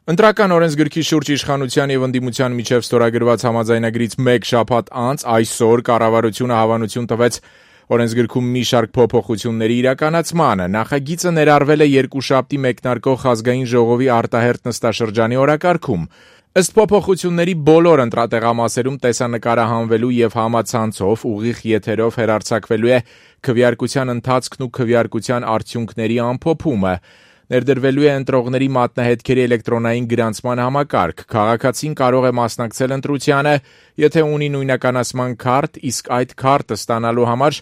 Ընտրական օրենսգրքի շուրջ իշխանության եւ ընդդիմության միջև ստորագրված համաձայնագրից մեկ շաբաթ անց այսօր կառավարությունը հավանություն տվեց օրենսգրքում մի շարք փոփոխությունների իրականացմանը։ Նախագիծը ներառվել է երկուշաբթի մեկնարկող ազգային ժողովի արտահերթ նստաշրջանի օրակարգում։ Ըստ փոփոխությունների բոլոր ընտրատեղամասերում տեսանկարահանվելու եւ համացանցով ուղիղ եթերով հեռարձակվելու է քվեարկության ընթացքն ու քվեարկության արդյունքների ամփոփումը։ Ներդրվելու է ընտրողների մատնահետքերի էլեկտրոնային գրանցման համակարգ։ Քաղաքացին կարող է մասնակցել ընտրությանը, եթե ունի նույնականացման քարտ, իսկ այդ քարտը ստանալու համար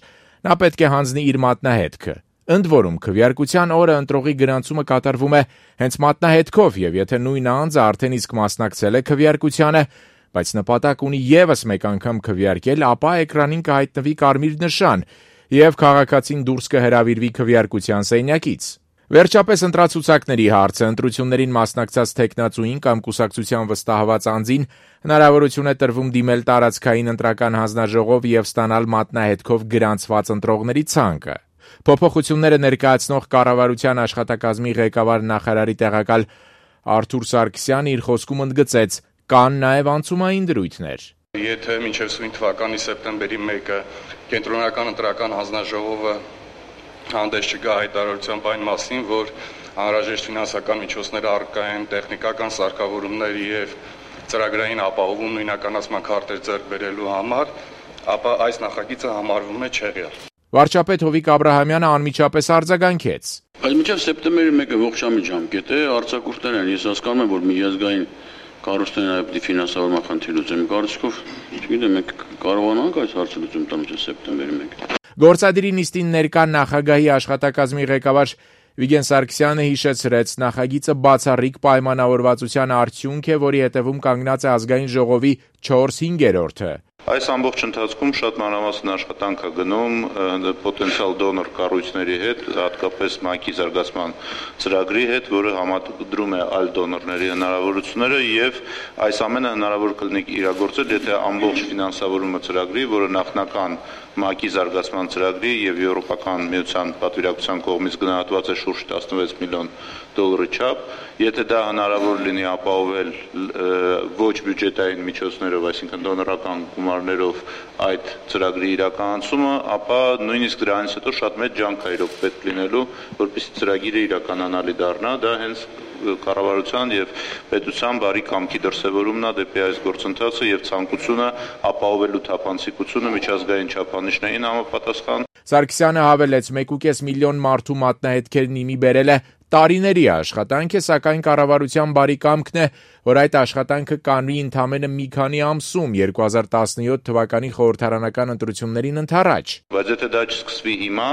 նա պետք է հանձնի իր մատնահետքը։ Ընդ որում, քվեարկության օրը ընտրողի գրանցումը կատարվում է հենց մատնահետքով, եւ եթե նույն անձը արդեն իսկ մասնակցել է քվեարկությանը, բայց նպատակ ունի եւս մեկ անգամ քվեարկել, ապա էկրանին կհայտնվի կարմիր նշան, եւ քաղաքացին դուրս կհրավիրվի քվեարկության սենյակից։ Վերջապես ընտրացուցակների հարցը ընտրություններին մասնակցած թեկնածուին կամ կուսակցության վստահված անձին հնարավորություն է տրվում դիմել տարածքային ընտրական հանձնաժողով եւ ստանալ մատնահետքով գրանցված ընտրողների ցանկը։ Փոփոխությունները ներկայացնող կառավարության աշխատակազմի ղեկավար նախարարի տեղակալ Արթուր Սարգսյանը իր խոսքում ընդգծեց, կան նաեւ անցումային դրույթներ։ Եթե մինչև սույն թվականի սեպտեմբերի 1-ը կենտրոնական ընտրական հանձնաժողովը հանդես չգա հայտարարությամբ այն մասին, որ անհրաժեշտ ֆինանսական միջոցներ առկա են տեխնիկական սարքավորումներ եւ ծրագրային ապահովում նույնականացման քարտեր ձեռք բերելու համար, ապա այս նախագիծը համարվում է չեղյալ։ Վարչապետ Հովիկ Աբրահամյանը անմիջապես արձագանքեց. Բայց մինչև սեպտեմբերի 1-ը ողջամիտ ժամկետ է, արձակուրդներ են, ես հասկանում եմ, որ միջազգային կառույցներն այլ ֆինանսավորման խնդիր լուծեն, կարծիքով, չգիտեմ, մենք կարողանանք այս հարցը լուծում տալ մինչև սեպտեմբերի 1-ը։ Գործադիրի նիստին ներկա նախագահի աշխատակազմի ղեկավար Վիգեն Սարգսյանը հիշեցրեց, նախագիծը բացառիկ պայմանավորվածության արդյունք է, որի հետևում կանգնած է ազգային ժողովի 4/5-ը։ Այս ամբողջ ընթացքում շատ մանրամասն աշխատանք է գնում պոտենցիալ դոնոր կառույցների հետ, հատկապես ՄԱԿ-ի զարգացման ծրագրի հետ, որը համադրում է այլ դոնորների հնարավորությունները եւ այս ամենը հնարավոր կլինի իրագործել, եթե ամբողջ ֆինանսավորումը ծրագրի, որը նախնական ՄԱԿ-ի զարգացման ծրագրի եւ Եվրոպական միության պատվիրակության կողմից գնահատված է շուրջ 16 միլիոն դոլարի չափ, եթե դա հնարավոր լինի ապահովել ոչ բյուջետային միջոցներով, այսինքն դոնորական գումարներով այդ ծրագրի իրականացումը, ապա նույնիսկ դրանից հետո շատ մեծ ջանք է իրոք պետք լինելու, որպեսզի ծրագիրը իրականանալի դառնա, դա հենց կառավարության եւ պետության բարի կամքի դրսեւորումն է դեպի այս գործընթացը եւ ցանկությունը ապահովելու թափանցիկությունը միջազգային չափանիշներին համապատասխան։ Սարգսյանը հավելեց, 1.5 միլիոն մարդու մատնահետքերն իմի բերել է տարիների աշխատանք է, սակայն կառավարության բարի կամքն է, որ այդ աշխատանքը կանվի ընդամենը մի քանի ամսում 2017 թվականի խորհրդարանական ընտրություններին ընդառաջ։ Բայց եթե դա չսկսվի հիմա,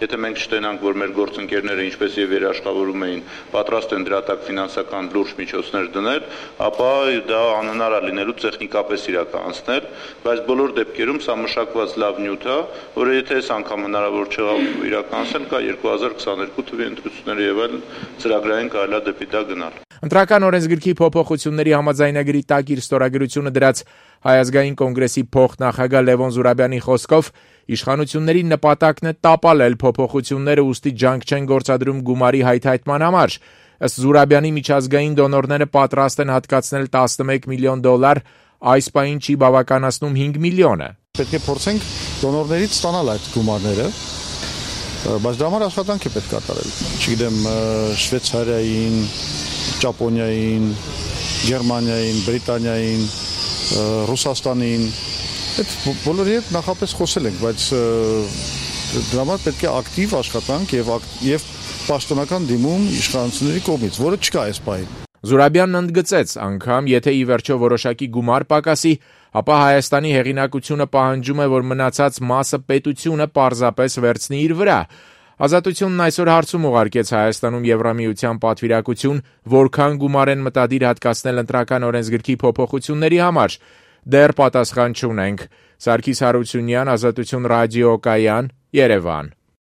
եթե մենք չտենանք, որ մեր գործընկերները ինչպես եւ երաշխավորում էին, պատրաստ են դրա տակ ֆինանսական լուրջ միջոցներ դնել, ապա դա անհնար է լինելու տեխնիկապես իրականացնել, բայց բոլոր դեպքերում սա մշակված լավ նյութ է, որը եթե այս անգամ հնարավոր չեղավ իրականացնել, կա 2022 թվականի ընտրությունները եւ այլ ծրագրային կարելի է դեպի դա գնալ։ Ընտրական օրենսգրքի փոփոխությունների համաձայնագրի տակ իր ստորագրությունը դրած Հայ ազգային կոնգրեսի փոխնախագահ Լևոն Զուրաբյանի խոսքով իշխանությունների նպատակն է տապալել փոփոխությունները, ուստի ջանք չեն գործադրում գումարի հայթայթման համար։ Ըստ Զուրաբյանի միջազգային դոնորները պատրաստ են հատկացնել 11 միլիոն դոլար, այս պահին չի բավականացնում 5 միլիոնը։ Պետք է փորձենք դոնորներից ստանալ այդ գումարները, բայց դրա համար աշխատանք է պետք կատարել։ Չգիտեմ, Շվեյցարիային, Ճապոնիային, Գերմանիային, Բրիտանիային, Ռուսաստանին, այդ բոլորի հետ նախապես խոսել ենք, բայց դրա համար պետք է ակտիվ աշխատանք եւ պաշտոնական դիմում իշխանությունների կողմից, որը չկա այս պահին։ Զուրաբյանն ընդգծեց, անգամ եթե ի վերջո որոշակի գումար պակասի, ապա Հայաստանի հեղինակությունը պահանջում է, որ մնացած մասը պետությունը պարզապես վերցնի իր վրա։ Ազատությունն այսօր հարցում ուղարկեց Հայաստանում Եվրամիության պատվիրակություն, որքան գումար են մտադիր հատկացնել ընտրական օրենսգրքի փոփոխությունների համար։ Դեռ պատասխան չունենք։ Սարգիս Հարությունյան, Ազատություն ռադիոկայան, Երևան։